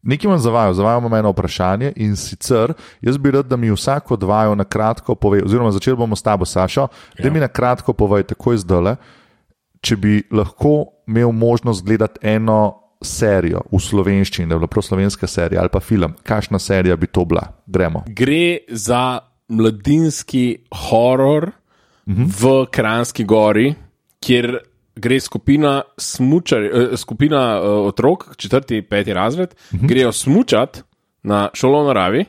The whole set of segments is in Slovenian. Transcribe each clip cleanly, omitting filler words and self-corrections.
Nekaj imam zavajam eno vprašanje in sicer, jaz bi rad, da mi vsako od vaju na kratko pove, oziroma začeli bomo s tabo, Sašo, da mi na kratko povej takoj zdajle, če bi lahko imel možnost gledati eno serijo v slovenščini, da je bila prav slovenska serija ali pa film, kakšna serija bi to bila? Gremo. Gre za mladinski horor v Kranjski Gori, kjer gre skupina otrok, 4., 5. razred, grejo smučati na šolo v naravi,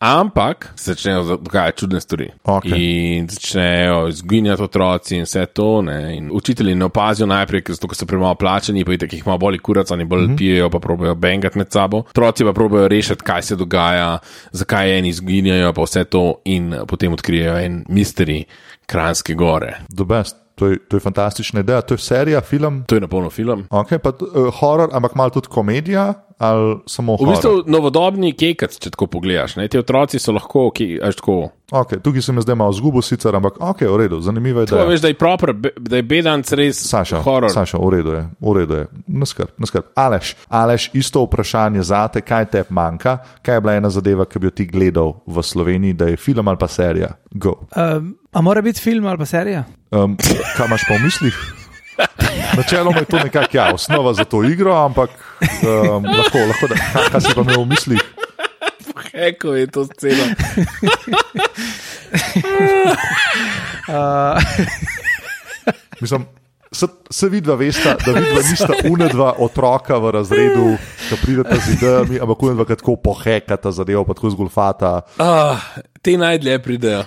ampak se začnejo dogajati čudne stvari. In začnejo izginjati otroci in vse to, ne? In učitelji ne opazijo najprej, ker so premalo plačani, pa jih malo bolj kurac, oni bolj pijejo, pa probajo bengati med sabo. Otroci pa probajo rešiti, kaj se dogaja, zakaj eni izginjajo, pa vse to in potem odkrijejo en misteri Kranjske Gore. The best. To je fantastična ideja. To je serija, film? To je napolno film. Pa horor, ampak malo tudi komedija ali samo horor? V bistvu novodobni kekac, če tako pogledaš. Ne? Ti otroci so lahko, tukaj se mi zdaj malo zgubo sicer, ampak v redu, zanimiva ideja. Tako veš, da je bedanc res horor. Saša, v redu je. Ne skrb. Aleš, isto vprašanje zate, kaj te manjka? Kaj je bila ena zadeva, ki bi jo ti gledal v Sloveniji, da je film ali pa serija? Go. A mora biti film ali pa serija? Kaj imaš pa v mislih? Načeloma je to nekako osnova za to igro, ampak lahko da. Kaj si pa imel v mislih? Kako je to scena? Mislim, se vidva vesta, da vidva nista unedva otroka v razredu, ki prideta z idejami, ampak unedva tako pohekata zadevo, pa tako zgolfata. Te najdlje pridejo.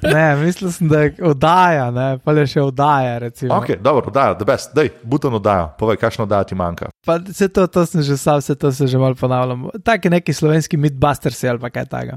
Ne, mislil sem, da je oddaja, ne, pa je še oddaja, recimo. Dobro, oddaja, the best, daj, butan oddaja, povej, kakšna oddaja ti manjka. Pa vse to sem že sam, vse to se že malo ponavljam. Tak je neki slovenski Mythbusters ali pa kaj taga.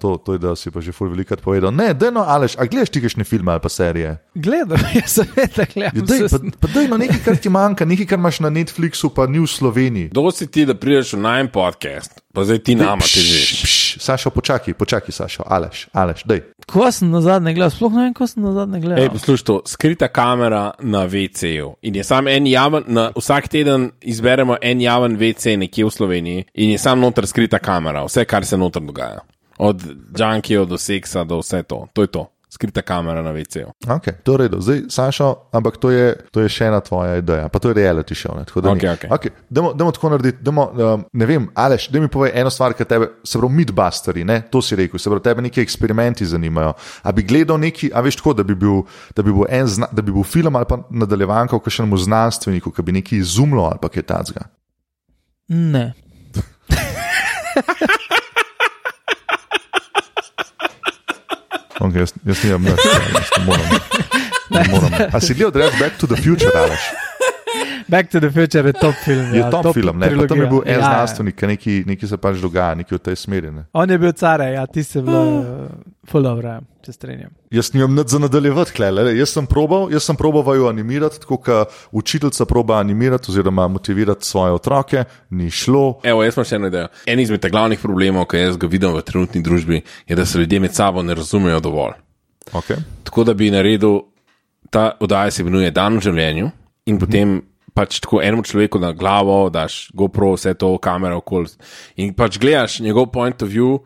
To je, da si pa že ful velikrat povedal. Ne, dajno, Aleš, a gledaš ti kakšne filme ali pa serije? Gledam, jaz seveda gledam. Pa dajno, nekaj, kar ti manjka, nekaj, kar imaš na Netflixu, pa ni v Sloveniji. Dosti ti, da prideš v najm podcast, pa zdaj ti nama težiš. Sašo, počakaj, Sašo, Aleš, daj. Ko sem nazadnje gledal, sploh ne vem, ko sem nazadnje gledal. Poslušaj to, skrita kamera na WC-ju in je sam en javen, vsak teden izberemo en javen WC nekje v Sloveniji in je sam noter skrita kamera, vse, kar se noter dogaja. Od junkijev do seksa, do vse to je to. Skrita kamera na WC-ju. To je redo. Zdaj, Sašo, ampak to je še ena tvoja ideja, pa to je reality show. Dajmo tako narediti, ne vem, Aleš, daj mi povej eno stvar, ki tebe, se pravi Mythbusteri, ne, to si rekel, se pravi tebe neki eksperimenti zanimajo. A bi gledal neki, a veš tako, da bi bil film ali pa nadaljevanka o kakšnemu znanstveniku, ki bi neki izumlo ali pa kaj tacga? Ne. Jaz nimam nič, ne moram. A si gledal Back to the Future, Aleš? Back to the Future je top film. Je top film, ne? Pa tam je bil en znanstvenik, neki se pač dogaja, neki v tej smeri, ne? On je bil care, ti se bilo ful dobro, če strenjam. Jaz nimam nič za nadaljevati, jaz sem probal vaju animirati, tako kot učiteljica proba animirati oziroma motivirati svoje otroke, ni šlo. Jaz imam še eno idejo. En izmed glavnih problemov, ki jaz ga vidim v trenutni družbi, je, da se ljudje med sabo ne razumejo dovolj. Tako da bi naredil, ta oddaja se imenuje Dan v življenju in potem pač tako enemu človeku na glavo daš GoPro, vse to, kamera okoli in pač gledaš njegov point of view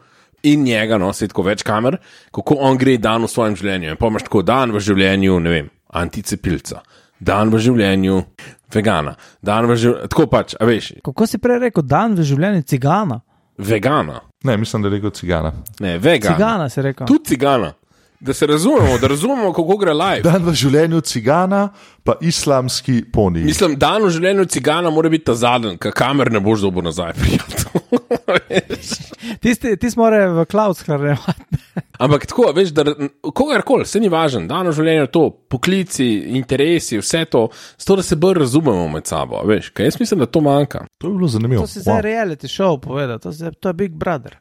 in njega, se tako več kamer, kako on gre dan v svojem življenju. In pa imaš tako dan v življenju, ne vem, anticepilca, dan v življenju vegana, dan v življenju, tako pač, a veš. Kako si prej rekel, dan v življenju cigana? Vegana. Ne, mislim, da je rekel cigana. Ne, vegana. Cigana si rekel. Tudi cigana. Da se razumemo, kako gre live. Dan v življenju cigana, pa islamski poni. Mislim, dan v življenju cigana mora biti ta zadnji, ker kamer ne boš dobil nazaj. Ti mora v cloud shranjevati. Ampak tako, veš, da kogarkoli, se ni važno, dan v življenju to, poklici, interesi, vse to, zato da se bolj razumemo med sabo, veš, kaj jaz mislim, da to manjka. To bi bilo zanimivo. To si za reality show povedal, to je Big Brother.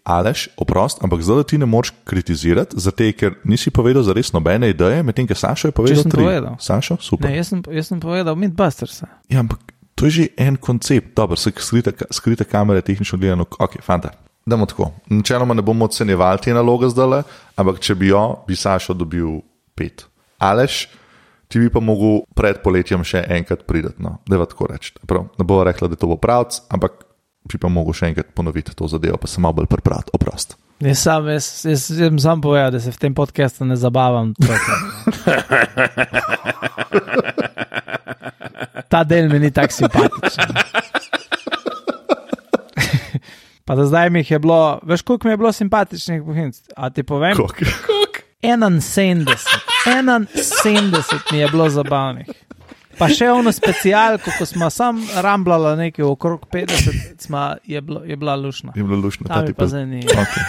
Aleš, oprost, ampak zdaj da ti ne moraš kritizirati, zato ker nisi povedal za res nobene ideje, medtem ko Sašo je povedal 3. Sašo, super. Ne, jaz sem povedal Mythbusters. Ja, ampak to je že en koncept, dobro, skrita kamere, tehnično gledano, fanta. Dajmo tako, načeloma ne bomo ocenjevali te naloge zdaj, ampak če bi Sašo dobil 5. Aleš, ti bi pa mogel pred poletjem še enkrat priti, no, da je tako reči. Ne bo rekla, da to bo pravc, ampak bi pa mogel še enkrat ponoviti to zadevo, pa se malo bolj pripraviti, oprost. Jaz sam povedal, da se v tem podcastu ne zabavam. Ta del mi ni tak simpatičen. Pa da zdaj mi je bilo, veš koliko mi je bilo simpatičnih bohinc? A ti povem? Koliko? 71 mi je bilo zabavnih. Pa še ono specialko, ko smo sam ramblala nekaj okrog 50, je bila lušna. Je bila lušna. Ta mi pa zanima. Okay.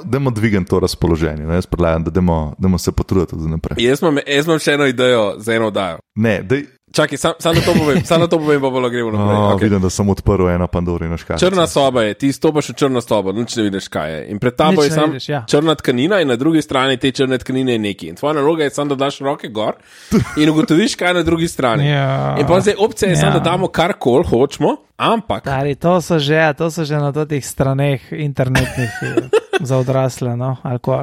Dajmo dvigati to razpoloženje. Jaz predlagam, da dajmo se potruditi za naprej. Jaz imam še eno idejo za eno oddajo. Ne, Čakaj, sam na to povem, pa bomo gremo naprej. Okay. Vidim, da sem odprl eno Pandorino škatlico. Črna soba je, ti stopaš v črno sobo, nič ne vidiš, kaj je. In pred tabo je sam črna tkanina in na drugi strani te črne tkanine je neki. In tvoja naloga je samo, da daš roke gor in ugotoviš, kaj je na drugi strani. In pa zdaj opcija je samo, da damo karkoli hočemo, ampak... Tari, to so že na totih straneh internetnih za odrasle, no?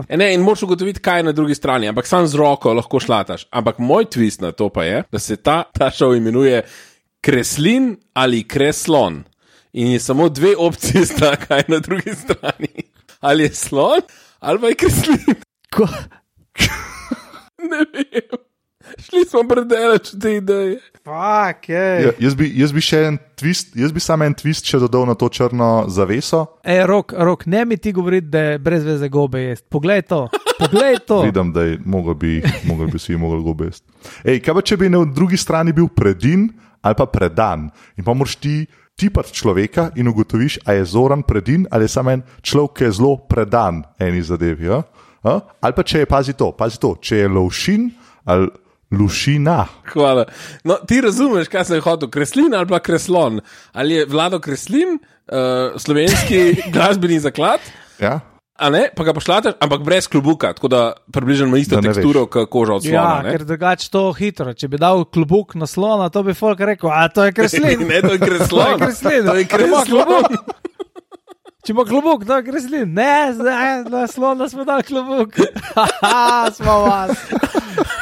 Ne, in moraš ugotoviti, kaj je na drugi strani, ampak sam z roko lahko šlataš. Ampak moj twist na to pa je, da se ta šov imenuje Kreslin ali Kreslon. In je samo dve opcije sta, kaj je na drugi strani. Ali je slon, ali pa je Kreslin. Ko? Ne vem. Šli smo predaleč od te ideje. Fuck, jaz bi še en twist, jaz bi samo en twist še dodal na to črno zaveso. Rok, ne mi ti govoriti, da je brez veze gobe jest. Poglej to. Vidim, da je mogel bi si gobe jest. Kaj pa če bi na drugi strani bil predin ali pa predan in pa moraš ti tipati človeka in ugotoviš, a je Zoran predin ali je samo en človek, ki je zelo predan eni zadevi. Ali pa če je, pazi to, če je Lovšin ali Lušina. Hvala. No, ti razumeš, kaj sem hotel, Kreslin ali pa Kreslon? Ali je Vlado Kreslin, slovenski glasbeni zaklad? Ja. A ne, pa ga pošlataš, ampak brez klobuka, tako da približno isto teksturo, kot koža od slona. Ja, ker drugače to hitro. Če bi dal klobuk na slona, to bi folk rekel, a to je Kreslin. Ne, to je Kreslon. To je Kreslon. Če ima klobuk, to je Kreslin. Ne, na slona smo dali klobuk. Smo vas.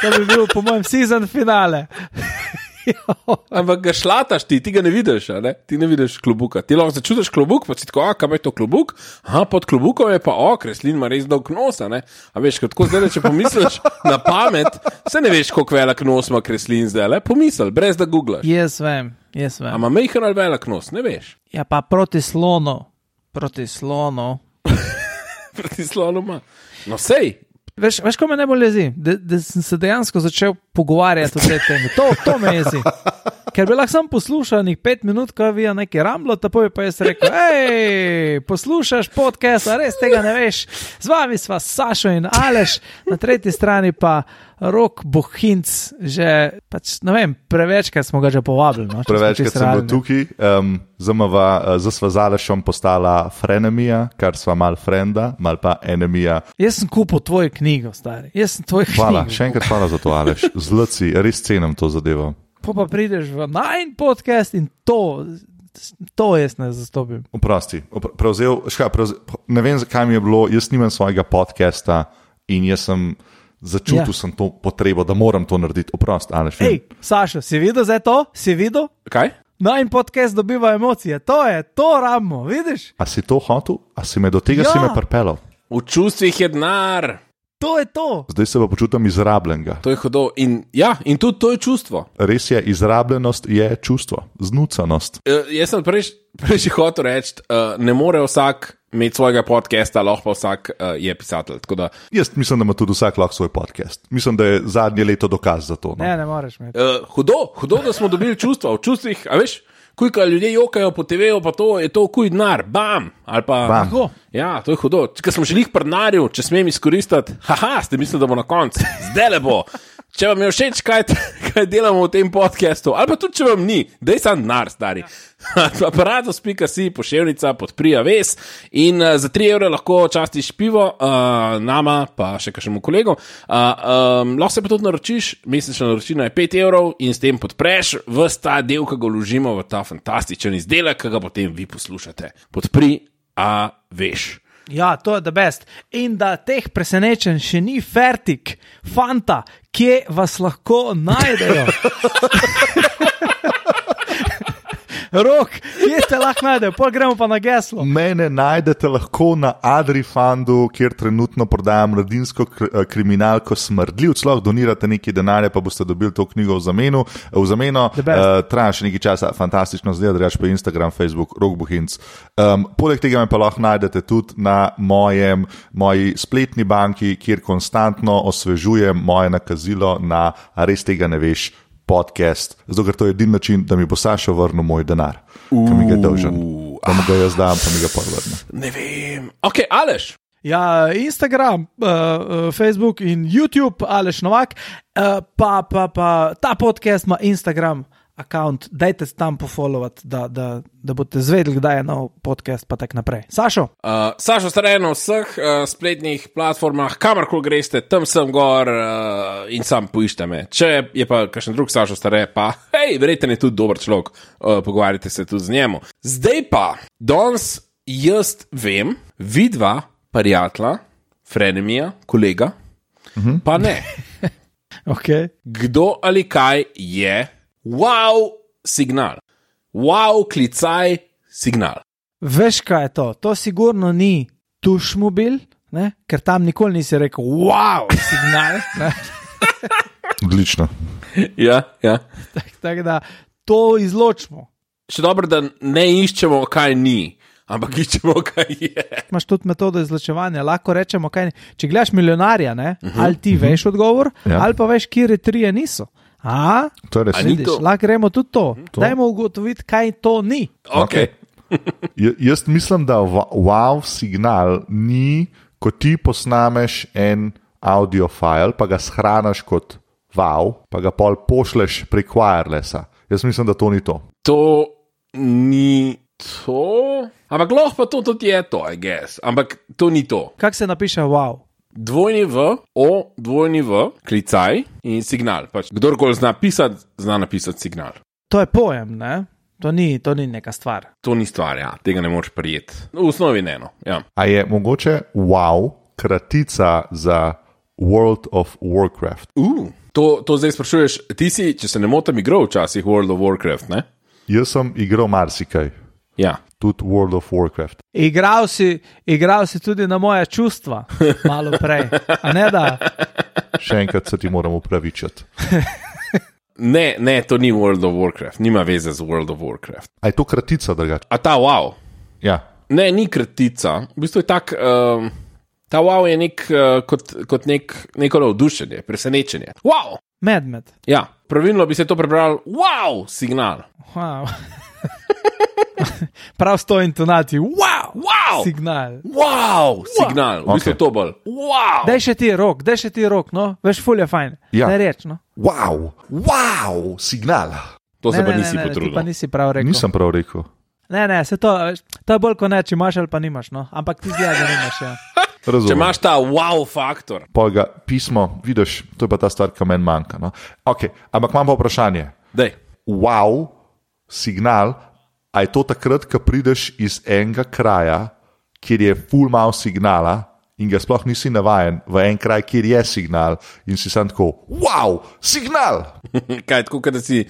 To bi bil, po mojem, season finale. Ampak ga šlataš ti ga ne vidiš, ne? Ti ne vidiš klobuka. Ti lahko začutiš klobuk, pa si tako, kaj je to klobuk? Pod klobukom je pa, Kreslin ima res dolg nos, ne? A veš, tako zdaj, če pomisliš na pamet, se ne veš, koliko velik nos ima Kreslin zdaj, pomisli, brez da googlaš. Jaz vem. A ima majhen ali velik nos, ne veš? Ja, pa proti slonu ima. No, sej. Veš, ko me najbolj jezi, da sem se dejansko začel pogovarjati o tej temi. To me jezi. Ker bi lahko sam poslušal 5 minut, ko je nekaj ramblo, tako bi pa jaz rekel, poslušaš podcast, a res tega ne veš. Z vami sva Sašo in Aleš, na tretji strani pa Rok Bohinc, že, ne vem, prevečkrat smo ga že povabili. No, prevečkrat sem bil tukaj, zdaj sva z Alešom postala frenemija, kar sva mal frenda, mal pa enemija. Jaz sem kupil tvojo knjigo, stari. Hvala, še enkrat hvala za to, Aleš. Zlaci, res cenim to zadevo. Pa prideš v najn podcast in to jaz ne zastopim. Oprosti, ne vem, zakaj mi je bilo, jaz nimam svojega podcasta in jaz sem začutil sem to potrebo, da moram to narediti. Oprosti, Aleš. Sašo, si videl zdaj to? Si videl? Kaj? Najn podcast dobiva emocije, to rabimo, vidiš? A si to hotel? A si me do tega si me pripelal? V čustvih je denar. To je to. Zdaj se pa počutim izrabljenega. To je hudo. In tudi to je čustvo. Res je, izrabljenost je čustvo, znucanost. Jaz sem prej hotel reči, ne more vsak imeti svojega podcasta, lahko pa vsak je pisatelj. Jaz mislim, da ima tudi vsak lahko svoj podcast. Mislim, da je zadnje leto dokaz za to. No? Ne moreš imeti. Hudo, da smo dobili čustva. V čustvih, a veš, ko ljudje jokajo po TV-u, pa to je to kuj denar, bam, ali pa... Bam. Ja, to je hudo. Če smo želeli pri denarju, če smem izkoristiti, ste mislili, da bo na koncu, zdaj le bo. Če vam je všeč, kaj delamo v tem podcastu, ali pa tudi, če vam ni, daj sam denar, stari. Aparatus.si, poševnica, podprija ves in za 3 evre lahko častiš pivo, nama, pa še kakšnemu kolegu. Lahko se pa tudi naročiš, mesečna naročina je 5 evrov in s tem podpreš ves ta del, ki ga vložimo v ta fantastičen izdelek, ki ga potem vi poslušate. Podpri, a veš. Ja, to je the best. In da teh presenečenj še ni fertik, fanta, kje vas lahko najdejo? Rok, kje te lahko najdejo? Pol gremo pa na geslo. Mene najdete lahko na Adrifundu, kjer trenutno prodajam mladinsko kriminalko Smrdljivc. Lahko donirate nekaj denarja, pa boste dobili to knjigo v zameno. Traja še nekaj časa, fantastično zdaj, drugače pa Instagram, Facebook, Rok Bohinc. Poleg tega me pa lahko najdete tudi na moji spletni banki, kjer konstantno osvežujem moje nakazilo na A res tega ne veš podcast, zato ker to je edini način, da mi bo Sašo vrnil moj denar, ki mi ga je dolžen. Da mu ga jaz dam, pa mi ga podvrne. Ne vem. Ok, Aleš. Ja, Instagram, Facebook in YouTube, Aleš Novak, pa ta podcast ima Instagram account, dajte tam pofollowati, da boste zvedeli, kdaj je nov podcast, pa tak naprej. Sašo? Sašo Stare na vseh spletnih platformah, kamorkoli greste, tam sem gor in sam poiščite me. Če je pa kakšen drug Sašo Stare, pa hej, verjetno je tudi dober človek, pogovarjate se tudi z njemu. Zdaj pa, danes jaz vem, vidva, prijatelja, frenemija, kolega, pa ne. Okay. Kdo ali kaj je wow signal. Wow klicaj signal. Veš, kaj je to? To sigurno ni tušmobil, ne? Ker tam nikoli nisi rekel wow signal. Ne? Odlično. Ja. Tako da to izločimo. Še dobro, da ne iščemo, kaj ni, ampak iščemo, kaj je. Imaš tudi metodo izločevanja, lahko rečemo, kaj ni. Če gledaš milijonarja, ne? Ali ti veš odgovor, ali pa veš, kire trije niso. Vidiš, lahko gremo tudi to. Dajmo ugotoviti, kaj to ni. Okay. Jaz mislim, da wow signal ni, ko ti posnameš en audio file, pa ga shraniš kot wow, pa ga pol pošleš prek wirelessa. Jaz mislim, da to ni to. To ni to, ampak lahko pa to tudi je to, I guess. Ampak to ni to. Kako se napiše wow? W, klicaj in signal. Pač, kdorkoli zna napisati signal. To je pojem, ne? To ni neka stvar. To ni stvar, ja. Tega ne moreš prijeti. V osnovi ne, no. Ja. A je mogoče wow kratica za World of Warcraft? To zdaj sprašuješ, ti si, če se ne motim, igral včasih World of Warcraft, ne? Jaz sem igral marsikaj. Ja. Tudi World of Warcraft. Igral si tudi na moja čustva, malo prej. A ne da? Še enkrat se ti moram upravičiti. Ne, to ni World of Warcraft, nima veze z World of Warcraft. A je to kratica drugače? A ta wow? Ja. Ne, ni kratica. V bistvu je tak, ta wow je kot neko navdušenje, presenečenje. Wow! Medmed. Ja, pravilno bi se to prebral wow signal. Wow. Prav s to intonacij. Wow! Signal. Wow! Signal. V bistvu je to bolj. Wow! Daj še ti rok, no? Veš, ful je fajn. Ja. Daj reč, no? Wow! Signal. To se pa nisi potrudil. Ti pa nisi prav rekel. Nisem prav rekel. Ne, se to je bolj kot ne, če imaš ali pa nimaš, no? Ampak ti zgleda, da nimaš, ja. Razumem. Če imaš ta wow faktor. Pol ga pismo, vidiš, to je pa ta stvar, ki meni manjka, no? Ok, ampak imam pa vprašanje. Dej. Wow signal. A je to takrat, ko prideš iz enega kraja, kjer je ful mal signala in ga sploh nisi navajen, v en kraj, kjer je signal in si sam tako, wow, signal! Kaj, tako, da si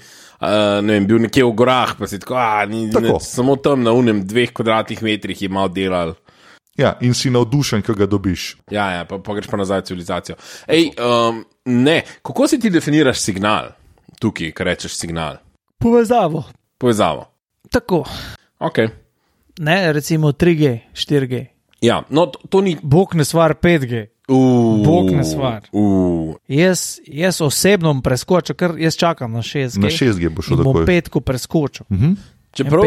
bil nekje v gorah, pa si tako, samo tam na unem 2 kvadratnih metrih je mal delal. Ja, in si navdušen, ko ga dobiš. Ja, pa greš pa nazaj v civilizacijo. Ej, ne, kako si ti definiraš signal tukaj, ko rečeš signal? Povezavo. Tako. Ok. Ne, recimo 3G, 4G. Ja, no to ni... Bog ne stvar 5G. Bog ne stvar. Jaz osebno preskočil, ker jaz čakam na 6G. Na 6G bo šel takoj. Bom 5 preskočil. Čeprav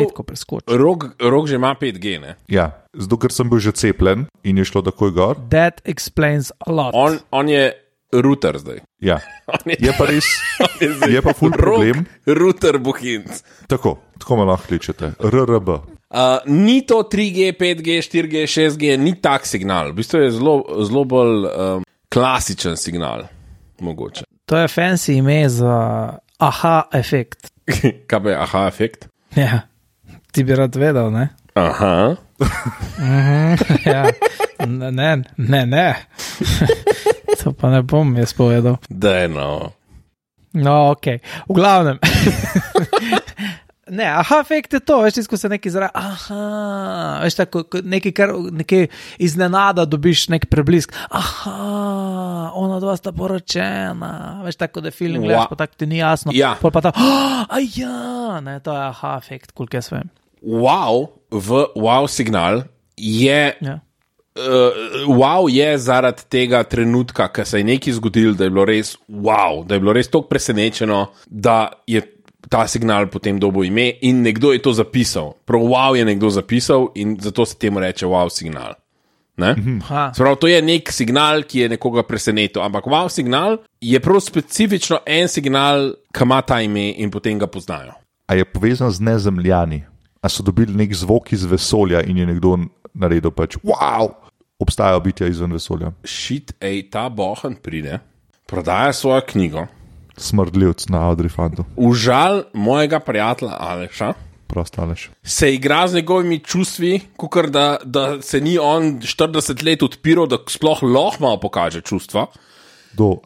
Rok že ima 5G, ne? Ja, zato ker sem bil že cepljen in je šlo takoj gor. That explains a lot. On je router zdaj. Ja, je pa res, je pa ful problem. Router Bohinc. Tako me lahko kličete. RRB. Ni to 3G, 5G, 4G, 6G, ni tak signal. V bistvu je zelo bolj klasičen signal. Mogoče. To je fancy ime za aha efekt. Kaj je aha efekt? Ja, ti bi rad vedel, ne? Aha. Ja. Ne. To pa ne bom jaz povedal. No, ok. V glavnem. Ne, efekt je to, veš, ko se nekaj zraven, veš, tako nekaj iznenada dobiš nek preblisk, ona dva sta poročena, veš, tako da film gledaš, pa tako ti ni jasno, pol pa ta, ne, to je efekt, koliko jaz vem. Wow signal je, wow je zaradi tega trenutka, ko se je nekaj zgodilo, da je bilo res wow, da je bilo res toliko presenečeno, da je ta signal potem dobil ime in nekdo je to zapisal. Prav wow je nekdo zapisal in zato se temu reče wow signal. Sprav, to je nek signal, ki je nekoga presenetil, ampak wow signal je prav specifično en signal, ki ima ta ime in potem ga poznajo. A je povezan z nezemljani? A so dobili nek zvok iz vesolja in je nekdo naredil pač wow, obstajajo bitja izven vesolja? Ta bohan pride, prodaja svojo knjigo, Smrdljivc na Audrifantu. Užal mojega prijatelja Aleša. Prost Aleš. Se igra z njegovimi čustvi, kakor da se ni on 40 let odpiral, da sploh lahko malo pokaže čustva.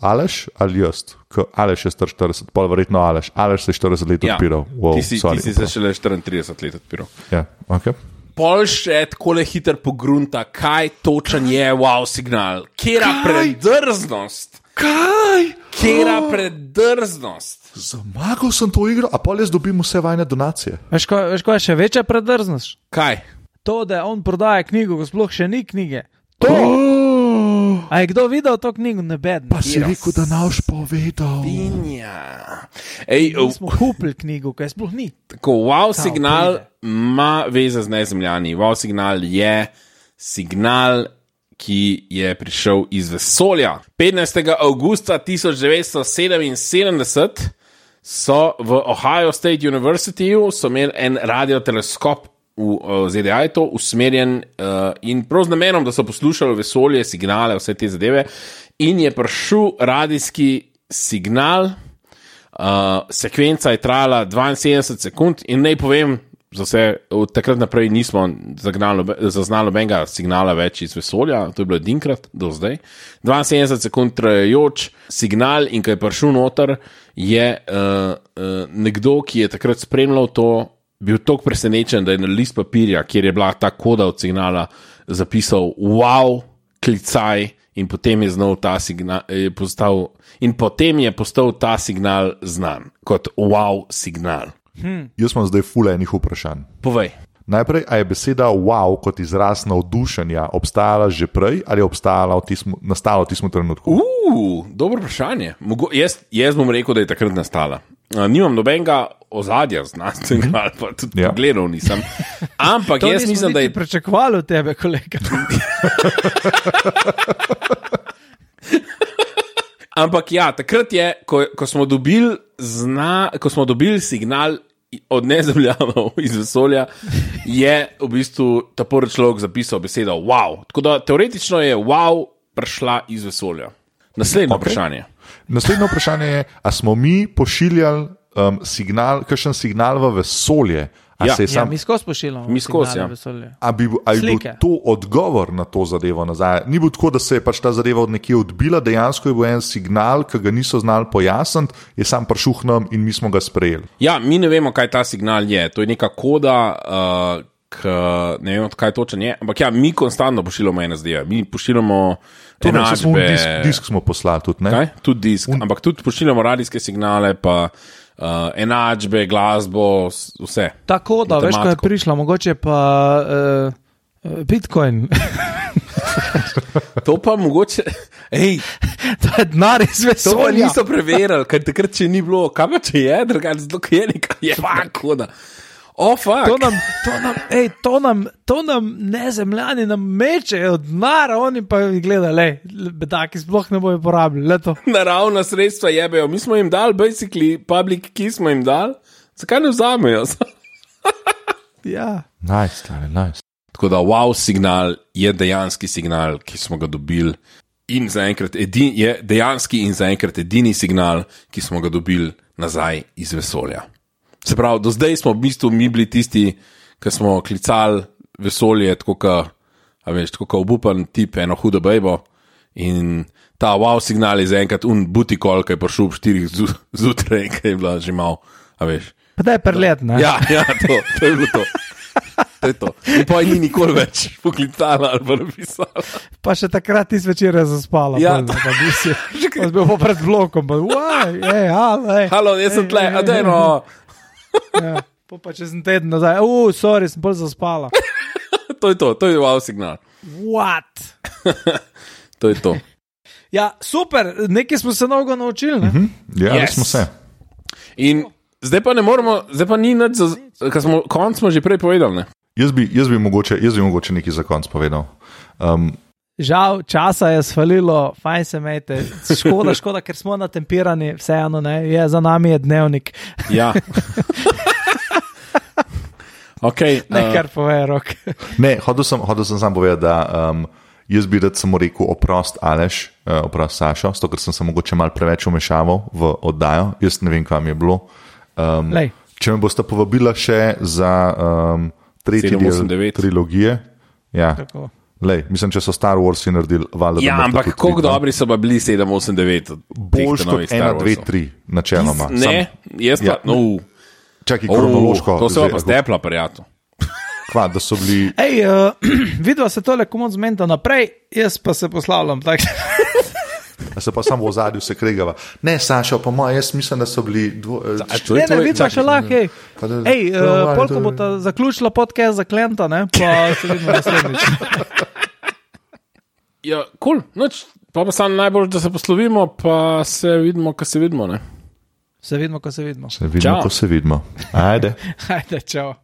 Aleš ali jaz? Aleš je star 40, pol verjetno Aleš. Aleš se je 40 let odpiral. Wow, ti si se šele 34 let odpiral. Ja, ok. Pol še takole hiter pogrunta, kaj točen je wow signal. Kjera predrznost. Kjera predrznost. Zamagal sem to igro, a pol jaz dobim vse vajne donacije. Veš, ko je še večja predrznost? Kaj? To, da on prodaja knjigo, ko sploh še ni knjige. To! A je kdo videl to knjigo? Nebedno. Pa si rekel, da naš povedal. Mi smo kupili knjigo, ko je sploh ni. Tako, wow signal ima veze z nezemljani. Wow signal je signal, ki je prišel iz vesolja. 15. avgusta 1977 so v Ohio State University imeli en radioteleskop v ZDA, je to usmerjen in prav z namenom, da so poslušali vesolje, signale, vse te zadeve, in je prišel radijski signal, sekvenca je trajala 72 sekund in naj povem, za vse, od takrat naprej nismo zaznali nobenega signala več iz vesolja, to je bilo edinkrat do zdaj. 72 sekund trajajoč signal in ko je prišel noter, je nekdo, ki je takrat spremljal to, bil toliko presenečen, da je na list papirja, kjer je bila ta koda od signala, zapisal wow, klicaj in potem je znal ta signal, potem je postal ta signal znan kot wow signal. Jaz imam zdaj ful enih vprašanj. Povej. Najprej, a je beseda wow kot izraz navdušenja obstajala že prej ali je nastala v tistem trenutku? Dobro vprašanje. Jaz bom rekel, da je takrat nastala. Nimam nobenega ozadja znanstvenega, ali pa tudi pogledal nisem. Ampak jaz mislim, da je... To nismo niti pričakovali od tebe, kolega. Ampak ja, takrat je, ko smo dobili signal od nezemljanov iz vesolja, je v bistvu ta prvi človek zapisal besedo wow. Tako da teoretično je wow prišla iz vesolja. Naslednje vprašanje. Naslednje vprašanje je, a smo mi pošiljali kakšen signal v vesolje? Mi skozi pošiljamo signale v vesolje. A bi bil to odgovor na to zadevo nazaj? Ni bilo tako, da se je pač ta zadeva od nekje odbila, dejansko je bil en signal, ki ga niso znali pojasniti, je sam prišel k nam in mi smo ga sprejeli. Ja, mi ne vemo, kaj ta signal je. To je neka koda, ne vemo, kaj točen je, ampak ja, mi konstantno pošiljamo NSD-je. Mi pošiljamo enačbe. Disk smo poslali tudi, ne? Kaj? Tudi disk, ampak tudi pošiljamo radijske signale, pa enačbe, glasbo, vse. Tako da, veš, ko je prišla, mogoče pa Bitcoin. To pa mogoče, to je denar iz vesolja. To pa niso preverili, ker takrat če ni bilo, kaj pa če je, drugače zato, ker je nekaj, je tako da. To nam nezemljani nam mečejo denar, oni pa gledajo, bedaki sploh ne bojo porabili. Naravna sredstva jebejo, mi smo jim dali, basically, public key smo jim dali, zakaj ne vzamejo? Ja. Nice. Tako da wow signal je dejanski signal, ki smo ga dobili in zaenkrat je dejanski in zaenkrat edini signal, ki smo ga dobili nazaj iz vesolja. Se pravi, do zdaj smo v bistvu mi bili tisti, ki smo klicali vesolje, tako kot obupan tip, eno hudo bejbo. In ta wow signal je zaenkrat butikol, ki je prišel ob 4 zjutraj, ki je bila že malo, a veš. Pa da je prelet, ne? Ja, to je bilo to. To je to. In pa ni nikoli več poklicala ali pa napisala. Pa še takrat ti zvečer je zaspala. Ja, pa si bil pa pred blokom, pa halo, jaz sem tle, a dajno. Ja, pa če sem teden nazaj, sorry, sem bolj zaspala. To je wow signal. What? To je to. Ja, super, nekaj smo se mnogo naučili, ne? Ja, yes. Smo se. In zdaj pa ne moremo, zdaj pa ni nič, konc smo že prej povedali, ne? Jaz bi mogoče nekaj za konc povedal. Žal, časa je svalilo, fajn se imejte, škoda, ker smo natempirani, vseeno, ne, za nami je dnevnik. Ja. Okay, kar pove, Rok. Ne, hodil sem sam povedati, da jaz bi rad samo rekel oprost Aleš, oprost Sašo, zato ker sem se mogoče malo preveč umešaval v oddajo, jaz ne vem, kam je bilo. Če me boste povabila še za tretji del trilogije, ja. Lej, mislim, če so Star Warsi naredili, valjda. Ja, ampak koliko dobri so pa bili 7, 8, 9? Boljš kot 1, 2, 3, načeloma. Ne, jaz pa, Čakaj, kronološko. To se pa stepla, prijatelj. Kva, da so bili... Vidva se tole komod zmenta naprej, jaz pa se poslavljam, tak. Se pa samo v zadju se kregava. Ne, Sašo, pa moj, jaz mislim, da so bili... Ne, vidva še lahko, polko bo ta zaključila podcast za Klenta, ne, pa se vidimo naslednjič. Ja, cool, noč, pa samo najbolj, da se poslovimo, pa se vidimo, ko se vidimo, ne. Se vidimo, ko se vidimo. Se vidimo, ko se vidimo. Ajde. Ajde, čau.